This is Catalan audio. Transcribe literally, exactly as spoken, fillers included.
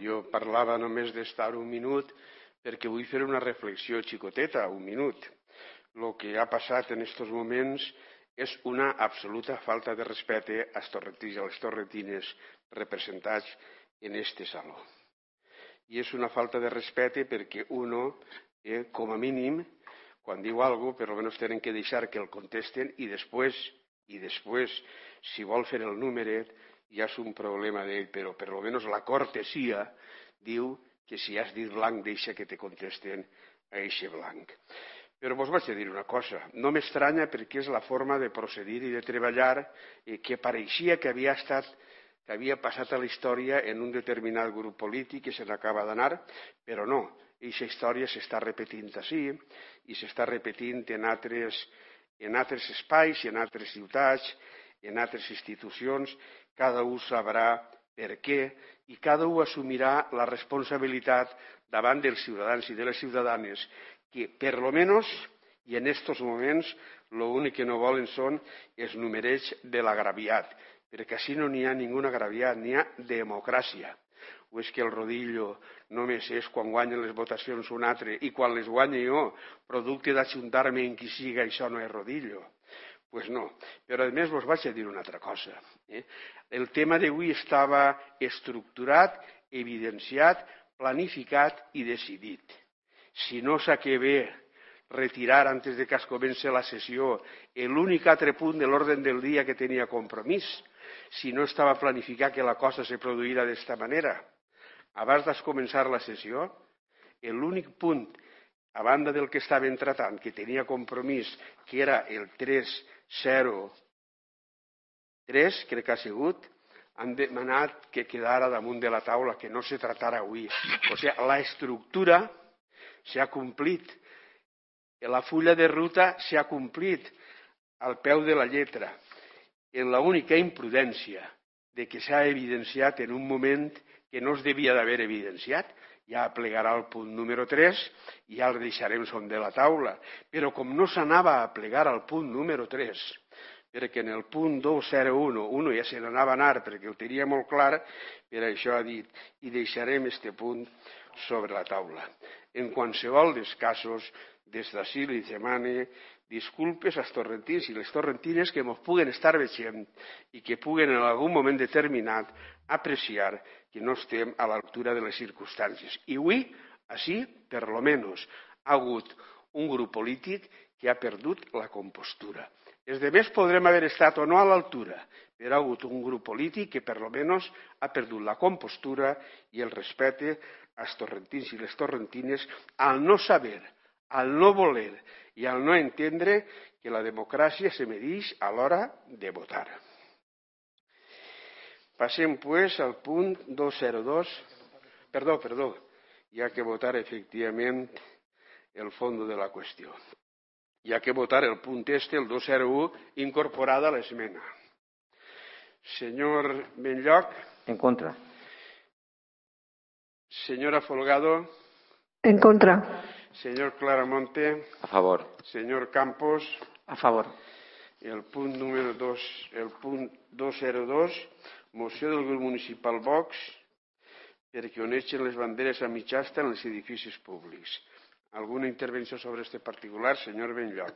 jo parlava només d'estar un minut perquè vull fer una reflexió xicoteta, un minut. El que ha passat en aquests moments és una absoluta falta de respecte als torrentins i a les torrentines representats en este saló. I és una falta de respecte perquè uno, eh, com a mínim, quan diu alguna cosa, per almenys tenen que deixar que el contesten i després, i després, si vol fer el número, ja és un problema d'ell, però per almenys la cortesia diu que si has dit blanc deixa que te contesten a eixe blanc. Però vos vaig a dir una cosa, no m'estranya perquè és la forma de procedir i de treballar que pareixia que havia estat que havia passat a la història en un determinat grup polític que se n'acaba d'anar, però no, aquesta història s'està repetint així i s'està repetint en altres, en altres espais, en altres ciutats, en altres institucions, cada un sabrà per què i cada un assumirà la responsabilitat davant dels ciutadans i de les ciutadanes que, per lo menos, i en aquests moments, l'únic que no volen són els numerets de l'agraviat, perquè així no n'hi ha ningú agraviat, n'hi ha democràcia. O és que el rodillo només és quan guanyen les votacions un altre i quan les guanya jo, producte d'ajuntar-me en qui siga, això no és rodillo. Doncs pues no. Però a més vos vaig a dir una altra cosa. Eh? El tema d'avui estava estructurat, evidenciat, planificat i decidit. Si no s'acaba retirar antes de que es comenci la sessió l'únic altre punt de l'ordre del dia que tenia compromís, si no estava planificat que la cosa se produïra d'esta manera, abans de començar la sessió, l'únic punt, a banda del que estaven tratant, que tenia compromís, que era el tres zero tres, crec que ha sigut, han demanat que quedara damunt de la taula, que no se tratara avui. O sigui, la estructura s'ha complit. La fulla de ruta s'ha complit al peu de la lletra. En l'única imprudència de que s'ha evidenciat en un moment que no es devia d'haver evidenciat, ja plegarà el punt número tres i ja el deixarem sobre la taula. Però com no s'anava a plegar al punt número tres, perquè en el punt dos zero un, un ja se n'anava a anar perquè ho tenia molt clar, per això ha dit, i deixarem este punt sobre la taula. En qualsevol dels casos, des d'ací li demane disculpes als torrentins i les torrentines que ens puguen estar veient i que puguen en algun moment determinat apreciar que no estem a l'altura de les circumstàncies. I avui, així, per lo menos, ha hagut un grup polític que ha perdut la compostura. Els demés podrem haver estat o no a l'altura, però ha hagut un grup polític que per lo menos ha perdut la compostura i el respecte als torrentins i les torrentines al no saber, al no voler i al no entendre que la democràcia se medeix a l'hora de votar. Passem, pues, al punt dos zero dos. Perdó, perdó, hi ha que votar efectivament el fons de la qüestió. Hi ha que votar el punt este, el dos zero un, incorporada a l'esmena. Senyor Benlloc. En contra. Señora Folgado. En contra. Señor Claramonte. A favor. Señor Campos. A favor. El punt número dos, el punt dos zero dos, moció del grup municipal Vox perquè oneixen les banderes a mitja asta en els edificis públics. Alguna intervenció sobre este particular, senyor Benlloc?